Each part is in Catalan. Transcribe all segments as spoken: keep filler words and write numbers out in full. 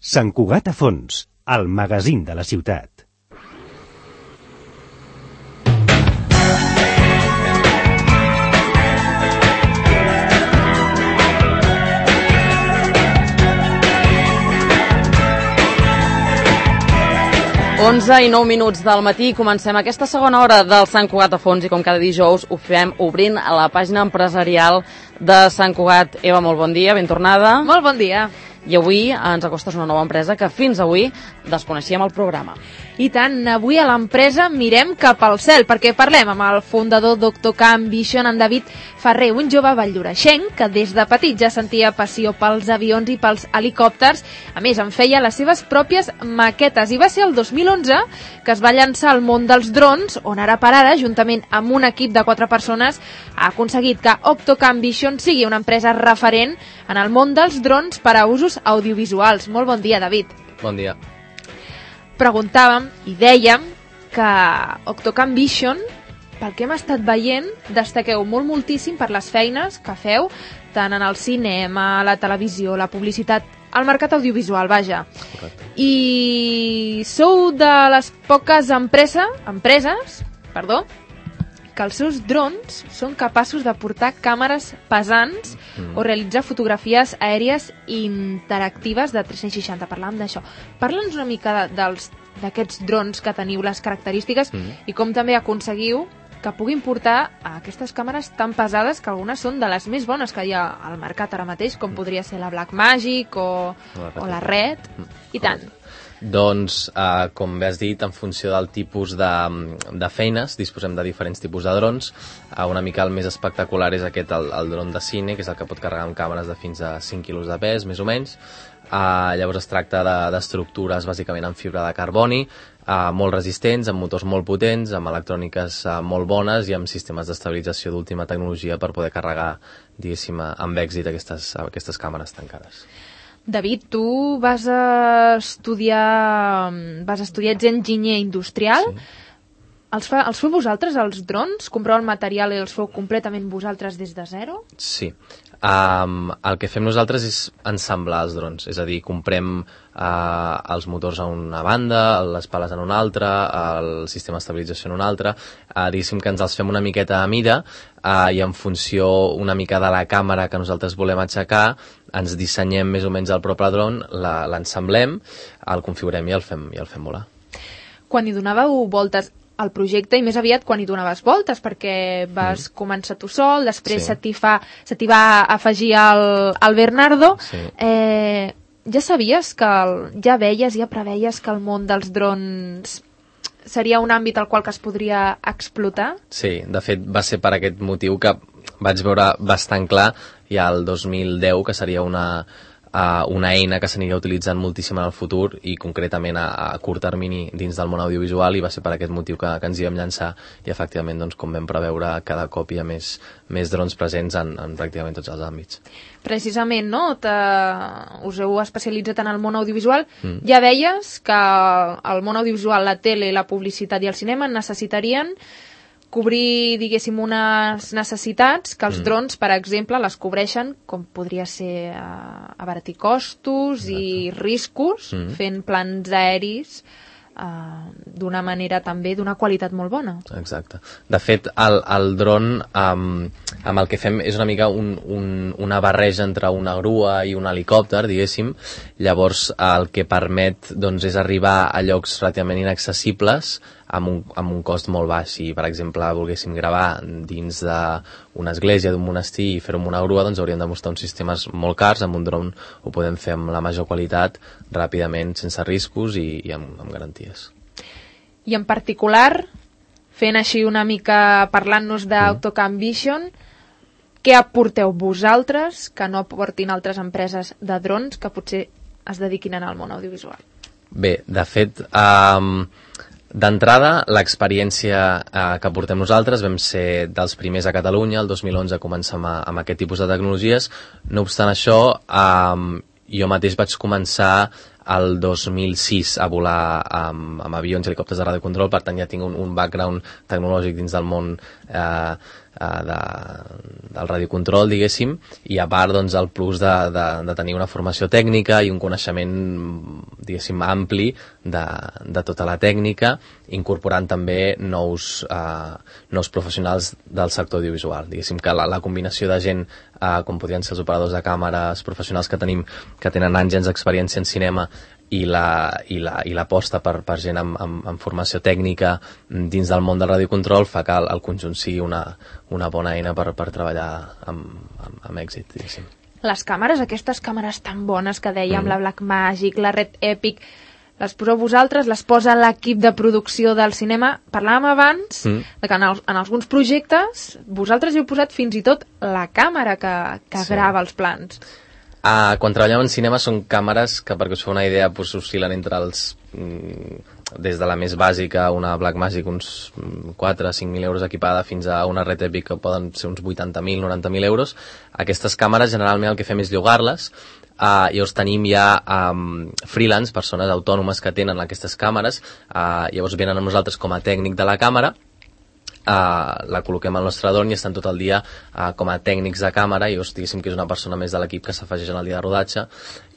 Sant Cugat a fons, el magazín de la ciutat. onze i nou minuts del matí, comencem aquesta segona hora del Sant Cugat a fons i com cada dijous ho fem obrint a la pàgina empresarial de Sant Cugat. Eva, molt bon dia, ben tornada. Molt bon dia. I avui ens acostes una nova empresa que fins avui desconeixíem el programa. I tant, avui a l'empresa mirem cap al cel, perquè parlem amb el fundador Doctor Camp Vision, en David Ferrer, un jove valldoreixenc que des de petit ja sentia passió pels avions i pels helicòpters. A més, en feia les seves pròpies maquetes. I va ser el dos mil onze que es va llançar al món dels drons, on ara per ara, juntament amb un equip de quatre persones, ha aconseguit que Octocam Vision sigui una empresa referent en el món dels drons per a usos audiovisuals. Molt bon dia, David. Bon dia. Preguntàvem i dèiem que Octocam Vision, pel que hem estat veient, destaqueu molt moltíssim per les feines que feu, tant en el cinema, la televisió, la publicitat, al mercat audiovisual, vaja. Correcte. I sou de les poques empresa, empreses perdó, que els seus drons són capaços de portar càmeres pesants mm. o realitzar fotografies aèries interactives de tres-cents seixanta. Parlàvem d'això. Parla'ns una mica de, dels d'aquests drons que teniu, les característiques mm. i com també aconseguiu que puguin portar aquestes càmeres tan pesades que algunes són de les més bones que hi ha al mercat ara mateix, com podria ser la Blackmagic o, la o la Red, mm. i tant. Doncs, eh, com bé has dit, en funció del tipus de, de feines, disposem de diferents tipus de drons. Eh, una mica el més espectacular és aquest, el, el dron de cine, que és el que pot carregar amb càmeres de fins a cinc quilos de pes, més o menys. Eh, llavors es tracta d'estructures de, bàsicament en fibra de carboni, eh, molt resistents, amb motors molt potents, amb electròniques eh, molt bones i amb sistemes d'estabilització d'última tecnologia per poder carregar, diguéssim, amb èxit aquestes, aquestes càmeres tancades. David, tu vas a estudiar, vas a estudiar, ets enginyer industrial. Sí. Els, fa, els feu vosaltres, els drons? Compreu el material i els feu completament vosaltres des de zero? Sí. Um, el que fem nosaltres és ensamblar els drons, és a dir, comprem uh, els motors a una banda, les pales en una altra, el sistema d'estabilització en una altra, uh, diguéssim que ens els fem una miqueta a mida uh, i en funció una mica de la càmera que nosaltres volem aixecar, ens dissenyem més o menys el propi dron, l'ensamblem, el configurem i el fem, i el fem volar. Quan hi donàveu voltes al projecte, i més aviat quan hi donaves voltes, perquè vas mm. començar tu sol, després sí. se t'hi fa, se t'hi va afegir el, el Bernardo. Sí. Eh, ja sabies que, el, ja veies, ja preveies que el món dels drons seria un àmbit al qual que es podria explotar? Sí, de fet va ser per aquest motiu que vaig veure bastant clar ja el dos mil deu que seria una... Uh, una eina que s'aniria utilitzant moltíssim en el futur i concretament a, a curt termini dins del món audiovisual, i va ser per aquest motiu que, que ens hi vam llançar, i efectivament, doncs, com vam preveure, cada cop hi ha més, més drons presents en, en pràcticament tots els àmbits. Precisament, no? Us heu especialitzat en el món audiovisual. Mm. Ja veies que el món audiovisual, la tele, la publicitat i el cinema necessitarien cobrir, diguéssim, unes necessitats que els mm. drons, per exemple, les cobreixen, com podria ser uh, abaratir costos Exacte. I riscos, mm. fent plans aeris uh, d'una manera també d'una qualitat molt bona. Exacte. De fet, el, el dron, um, amb el que fem és una mica un, un, una barreja entre una grua i un helicòpter, diguéssim. Llavors, el que permet doncs, és arribar a llocs relativament inaccessibles amb un, amb un cost molt baix. Si, per exemple, volguéssim gravar dins d'una església, d'un monestir i fer-ho amb una grua, doncs hauríem de mostrar uns sistemes molt cars. Amb un dron ho podem fer amb la major qualitat, ràpidament, sense riscos i, i amb, amb garanties. I en particular, fent així una mica, parlant-nos d'Octocam Vision, què aporteu vosaltres que no aportin altres empreses de drons que potser es dediquin al món audiovisual? Bé, de fet... Um, D'entrada, l'experiència eh, que portem nosaltres vam ser dels primers a Catalunya, el dos mil onze començam a, amb aquest tipus de tecnologies. No obstant això, eh, jo mateix vaig començar el dos mil sis a volar amb, amb avions i helicòpters de radiocontrol, per tant ja tinc un, un background tecnològic dins del món eh, de, del radiocontrol, diguéssim, i a part doncs, el plus de, de, de tenir una formació tècnica i un coneixement, diguéssim, ampli de, de tota la tècnica, incorporant també nous, uh, nous professionals del sector audiovisual. Diguéssim que la, la combinació de gent, uh, com podrien ser els operadors de càmeres professionals que tenim, que tenen anys d'experiència en cinema, i la, i la, i l'aposta per, per gent amb, amb, amb formació tècnica dins del món del radiocontrol fa que el, el conjunt sigui una, una bona eina per, per treballar amb, amb, amb èxit, diguéssim. Les càmeres, aquestes càmeres tan bones que dèiem, mm. la Blackmagic, la Red Epic, les poseu vosaltres, les posa l'equip de producció del cinema. Parlàvem abans mm. de que en, els, en alguns projectes vosaltres heu posat fins i tot la càmera que, que sí. grava els plans. Uh, quan treballem en cinema són càmeres que, perquè us feu una idea, pues, oscil·len entre els... Mm, des de la més bàsica, una Blackmagic, uns quatre a cinc mil euros equipada, fins a una Red Epic que poden ser uns vuitanta mil, noranta mil euros. Aquestes càmeres, generalment, el que fem és llogar-les. Uh, llavors tenim ja um, freelance, persones autònomes que tenen aquestes càmeres. Uh, llavors venen amb nosaltres com a tècnic de la càmera. Uh, la col·loquem al nostre drone i estan tot el dia uh, com a tècnics de càmera, i llavors diguéssim que és una persona més de l'equip que s'afegeix en el dia de rodatge,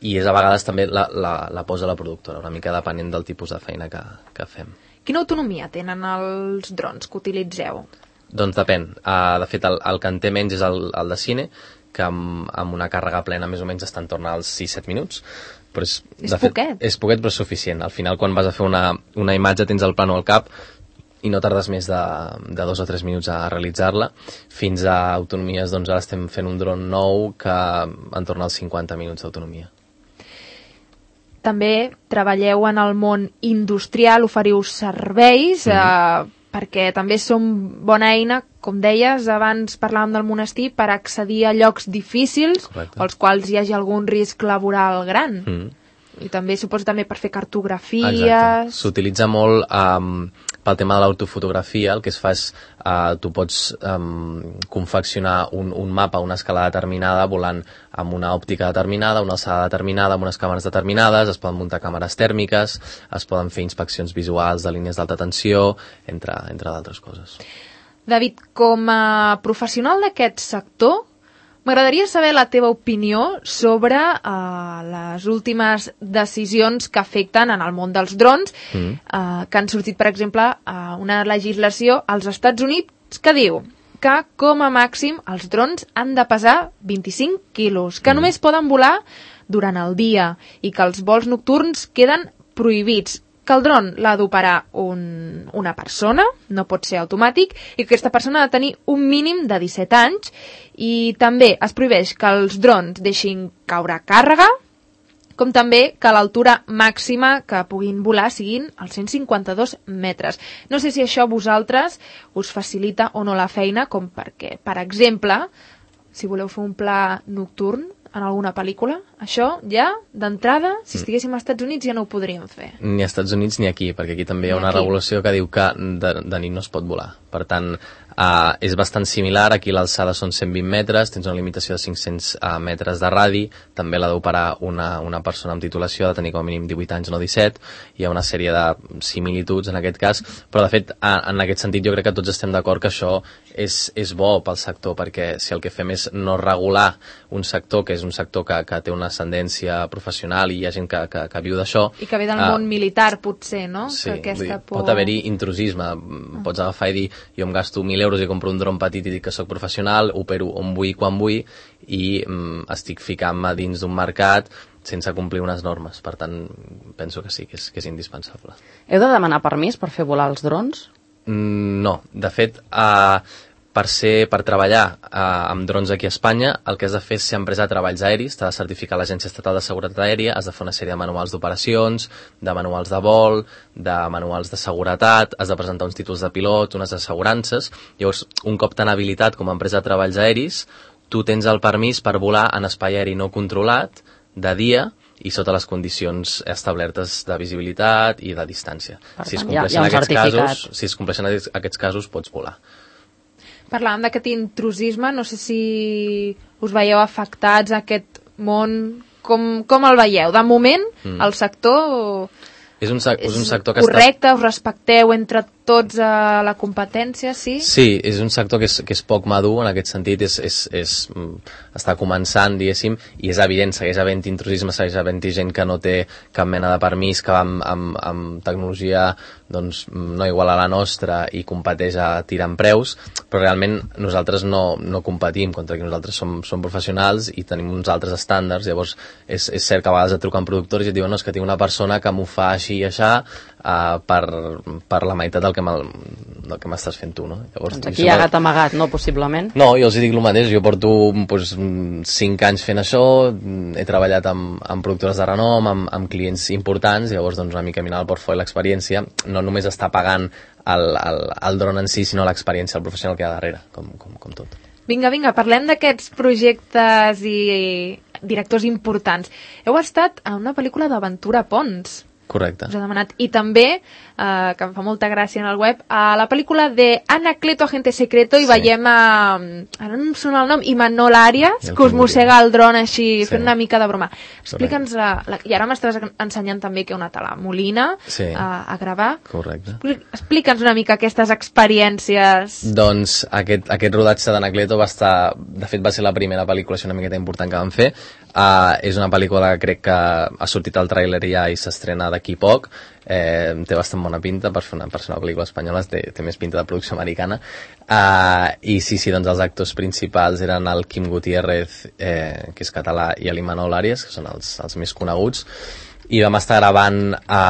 i és a vegades també la, la, la posa la productora, una mica depenent del tipus de feina que, que fem. Quina autonomia tenen els drons que utilitzeu? Doncs depèn. Uh, de fet, el, el que en té menys és el, el de cine, que amb, amb una càrrega plena més o menys està en torn als sis set minuts. Però és, és de fet, poquet. És poquet, però és suficient. Al final, quan vas a fer una, una imatge, tens el plànol al cap, i no tardes més de, de dos o tres minuts a realitzar-la, fins a autonomies, doncs ara estem fent un dron nou que en torna als cinquanta minuts d'autonomia. També treballeu en el món industrial, oferiu serveis, mm-hmm. eh, perquè també som bona eina, com deies, abans parlàvem del monestir, per accedir a llocs difícils, Correcte. als quals hi hagi algun risc laboral gran. Mm. I també suposo també per fer cartografies... Exacte. S'utilitza molt um, pel tema de l'autofotografia. El que es fa és, uh, tu pots um, confeccionar un, un mapa a una escala determinada volant amb una òptica determinada, una alçada determinada, amb unes càmeres determinades, es poden muntar càmeres tèrmiques, es poden fer inspeccions visuals de línies d'alta tensió, entre, entre d'altres coses. David, com a professional d'aquest sector, m'agradaria saber la teva opinió sobre uh, les últimes decisions que afecten en el món dels drons, mm. uh, que han sortit, per exemple, uh, una legislació als Estats Units que diu que, com a màxim, els drons han de pesar vint-i-cinc quilos, que mm. només poden volar durant el dia i que els vols nocturns queden prohibits, que el dron l'ha d'operar un, una persona, no pot ser automàtic, i que aquesta persona ha de tenir un mínim de disset anys, i també es prohibeix que els drons deixin caure càrrega, com també que l'altura màxima que puguin volar siguin els cent cinquanta-dos metres. No sé si això a vosaltres us facilita o no la feina, com perquè, per exemple, si voleu fer un pla nocturn en alguna pel·lícula, això ja, d'entrada, si estiguéssim als Estats Units ja no ho podríem fer. Ni als Estats Units ni aquí, perquè aquí també hi ha una regulació que diu que de, de nit no es pot volar. Per tant, uh, és bastant similar. Aquí l'alçada són cent vint metres, tens una limitació de cinc-cents uh, metres de radi, també l'ha d'operar una, una persona amb titulació, ha de tenir com a mínim divuit anys, no disset, hi ha una sèrie de similituds en aquest cas, però de fet, uh, en aquest sentit jo crec que tots estem d'acord que això és, és bo pel sector, perquè si el que fem és no regular un sector, que és un sector que, que té una ascendència professional i hi ha gent que, que, que viu d'això... I que ve del uh, món militar, potser, no? Sí, que aquesta dir, por... pot haver-hi intrusisme. Ah. Pots agafar i dir, jo em gasto mil euros i compro un dron petit i dic que sóc professional, opero on vull, quan vull, i mm, estic ficant-me dins d'un mercat sense complir unes normes. Per tant, penso que sí, que és, que és indispensable. Heu de demanar permís per fer volar els drons? Mm, no. De fet, uh, per, ser, per treballar uh, amb drons aquí a Espanya, el que has de fer és ser empresa de treballs aeris, t'ha de certificar l'Agència Estatal de Seguretat Aèria, has de fer una sèrie de manuals d'operacions, de manuals de vol, de manuals de seguretat, has de presentar uns títols de pilot, unes assegurances. Llavors, un cop tan habilitat com a empresa de treballs aeris, tu tens el permís per volar en espai aeri no controlat, de dia, i sota les condicions establertes de visibilitat i de distància. Per si es tant, compleixen hi ha, hi ha un aquests certificat. casos, si es compleixen aquests casos, pots volar. Parlàvem d'aquest intrusisme, no sé si us veieu afectats a aquest món, com, com el veieu? De moment, mm. el sector és un, sec és un sector que correcte, està... us respecteu entre tots a la competència, sí? Sí, és un sector que és, que és poc madur en aquest sentit, és, és, és, està començant, diguéssim, i és evident, segueix havent intrusisme, segueix havent gent que no té cap mena de permís, que va amb, amb, amb tecnologia doncs, no igual a la nostra i competeix a tirar en preus, però realment nosaltres no, no competim contra que nosaltres som, som professionals i tenim uns altres estàndards. Llavors és, és cert que a vegades et truquen productors i et diuen no, és que tinc una persona que m'ho fa així i aixà uh, per, per la meitat del que m'estàs fent tu, no? Llavors, doncs aquí hi ha gat amagat, no? Possiblement. No, jo els dic el mateix, jo porto pues, cinc anys fent això, he treballat amb, amb productores de renom, amb, amb clients importants, llavors doncs, una mica mirar el portfoli, l'experiència, no només està pagant el, el, el dron en si, sinó l'experiència, el professional que hi ha darrere, com, com, com tot. Vinga, vinga, parlem d'aquests projectes i directors importants. Heu estat a una pel·lícula d'Aventura Pons. Correcte. Us ha demanat. I també, eh, que em fa molta gràcia en el web, a la pel·lícula de Anacleto, Agente Secreto, i sí. veiem a... ara no em sona el nom, Imanol Arias, que us mossega el dron així, sí. fent una mica de broma. Explica'ns la, la... I ara m'estàs ensenyant també que heu anat a la Molina sí. a, a gravar. Correcte. Explica'ns una mica aquestes experiències. Doncs aquest, aquest rodatge d'Anacleto va estar... De fet, va ser la primera pel·lícula una miqueta important que vam fer. Uh, és una pel·lícula que crec que ha sortit al tràiler ja i s'estrena d'aquí poc, eh, té bastant bona pinta per, fer una, per ser una pel·lícula espanyola, té, té més pinta de producció americana, uh, i sí, sí, doncs els actors principals eren el Quim Gutiérrez, eh, que és català, i l'Imanol Arias, que són els, els més coneguts, i vam estar gravant a,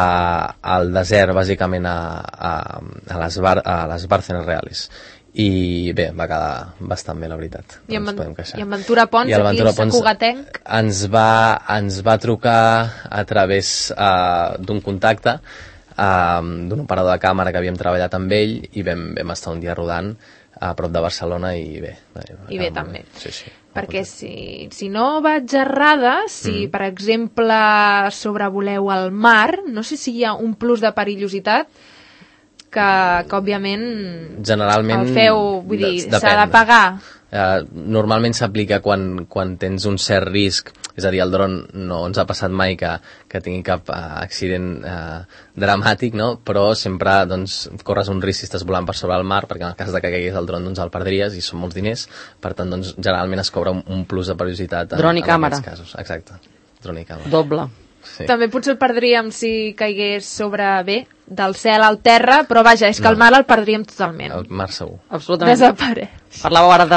al desert, bàsicament a, a, a, les, bar, a les Bárcenas Reales. I bé, va quedar bastant bé, la veritat. I en, i en Ventura Pons, aquí a Sant Cugatenc? Ens va, ens va trucar a través uh, d'un contacte uh, d'un operador de càmera que havíem treballat amb ell i vam, vam estar un dia rodant a prop de Barcelona i bé. I bé, també. Sí, sí. Perquè si, si no vaig errada, si mm. per exemple sobrevoleu el mar, no sé si hi ha un plus de perillositat que, que òbviament generalment el feu, vull dir, s'ha de pagar. Uh, normalment s'aplica quan, quan tens un cert risc, és a dir, el dron no ens ha passat mai que, que tingui cap uh, accident uh, dramàtic, no? Però sempre doncs, corres un risc si estàs volant per sobre el mar, perquè en el cas de que caigués el dron doncs el perdries i són molts diners, per tant doncs, generalment es cobra un, un plus de perillositat en, dron i en càmera. aquests casos. Exacte, dron i càmera. Doble. Sí. També potser el perdríem si caigués sobre, bé, del cel al terra, però vaja, és que no. el mar el perdríem totalment. El mar segur. Absolutament. Desapareix. Parlàveu ara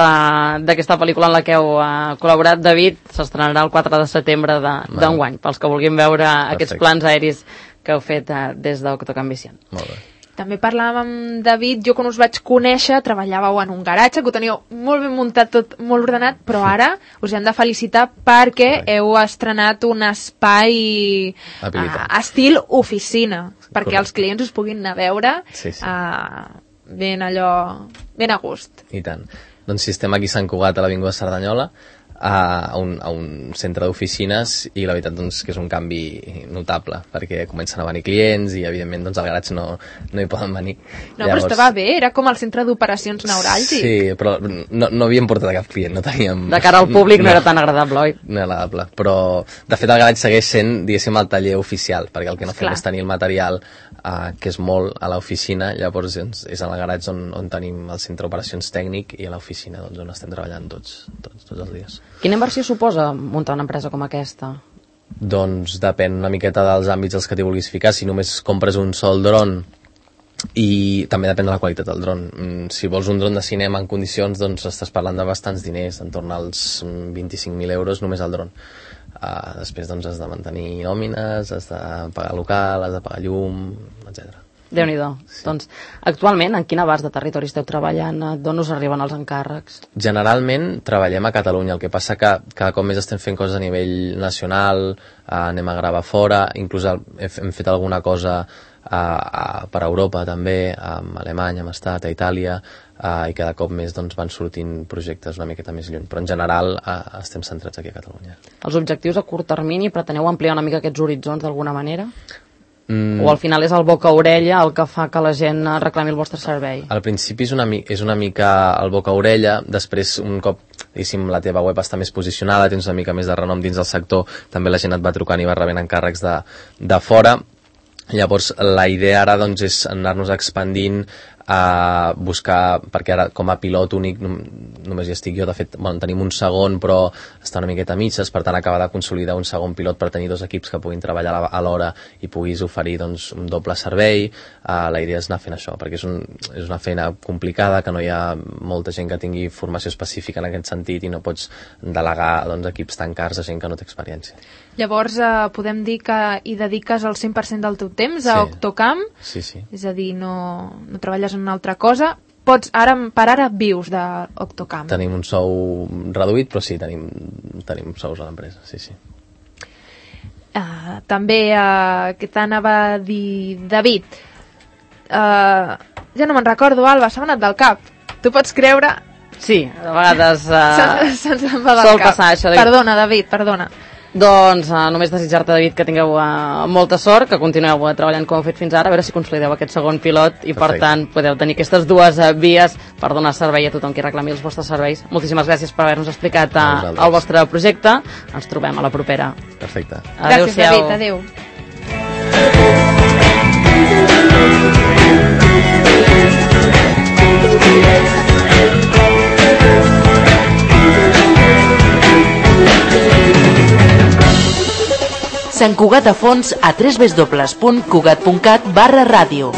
d'aquesta pel·lícula en la que heu uh, col·laborat. David, s'estrenarà el quatre de setembre d'enguany, de, pels que vulguin veure Perfecte. Aquests plans aeris que heu fet uh, des d'Octocambición. Molt bé. També parlàvem amb David, jo quan us vaig conèixer treballàveu en un garatge, que ho teníeu molt ben muntat, tot molt ordenat, però ara us hem de felicitar perquè Correcte. Heu estrenat un espai uh, estil oficina, perquè Correcte. Els clients us puguin anar a veure sí, sí. Uh, ben allò, ben a gust. I tant. Doncs si estem aquí a Sant Cugat, a l'Avinguda Cerdanyola, a un, a un centre d'oficines i la veritat doncs, que és un canvi notable perquè comencen a venir clients i evidentment doncs, al garatge no, no hi poden venir. No, Llavors... però estava bé, era com el centre d'operacions neuràlgic. Sí, però no, no havíem portat a cap client, no teníem... De cara al públic no, no era tan agradable, oi? No era agradable, però de fet el garatge segueix sent, diguéssim, el taller oficial, perquè el que no fem és tenir el material uh, que és molt a l'oficina, llavors doncs, és al garatge on, on tenim el centre d'operacions tècnic i a l'oficina doncs, on estem treballant tots, tots, tots els dies. Quina inversió suposa muntar una empresa com aquesta? Doncs depèn una miqueta dels àmbits als que t'hi vulguis ficar. Si només compres un sol dron, i també depèn de la qualitat del dron. Si vols un dron de cinema en condicions, doncs estàs parlant de bastants diners, entorn als vint-i-cinc mil euros només el dron. Uh, després doncs has de mantenir nòmines, has de pagar local, has de pagar llum, etcètera. Déu-n'hi-do. Sí. Doncs, actualment, en quin abast de territori esteu treballant? D'on us arriben els encàrrecs? Generalment treballem a Catalunya, el que passa que cada cop més estem fent coses a nivell nacional, eh, anem a gravar fora, inclús hem fet alguna cosa a, a, per Europa també, a Alemanya hem estat, a Itàlia, eh, i cada cop més doncs, van sortint projectes una miqueta més lluny, però en general eh, estem centrats aquí a Catalunya. Els objectius a curt termini, preteneu ampliar una mica aquests horitzons d'alguna manera? Mm. O al final és el boca-orella el que fa que la gent reclami el vostre servei? Al principi és una, és una mica el boca-orella, després un cop diguéssim, la teva web està més posicionada, tens una mica més de renom dins del sector, també la gent et va trucant i va rebent encàrrecs de, de fora, Llavors, la idea ara doncs, és anar-nos expandint a buscar, perquè ara com a pilot únic només hi estic jo, de fet bueno, tenim un segon però està una miqueta a mitges, per tant acabar de consolidar un segon pilot per tenir dos equips que puguin treballar a l'hora i puguis oferir doncs, un doble servei. Uh, la idea és anar fent això, perquè és, un, és una feina complicada, que no hi ha molta gent que tingui formació específica en aquest sentit i no pots delegar doncs, equips tan cars a gent que no té experiència. Llavors eh, podem dir que hi dediques el cent per cent del teu temps a sí. Octocam, sí, sí. és a dir, no, no treballes en una altra cosa. Pots, ara, per ara vius d'Octocam. Tenim un sou reduït, però sí, tenim, tenim sous a l'empresa, sí, sí. Uh, també, uh, que t'anava a dir, David, uh, ja no me'n recordo, Alba, s'ha anat del cap. Tu pots creure... Sí, a vegades... Uh, Se'ns en va del sol cap. Passar, això de... Perdona, David, perdona. Doncs uh, només desitjar-te, David, que tingueu uh, molta sort, que continueu uh, treballant com heu fet fins ara, a veure si consolideu aquest segon pilot i, Perfecte. Per tant, podeu tenir aquestes dues uh, vies per donar servei a tothom qui reclami els vostres serveis. Moltíssimes gràcies per haver-nos explicat uh, el vostre projecte. Ens trobem a la propera. Perfecte. Gràcies, David. Adéu. Sant Cugat a fons a w w w punt cugat punt cat barra ràdio.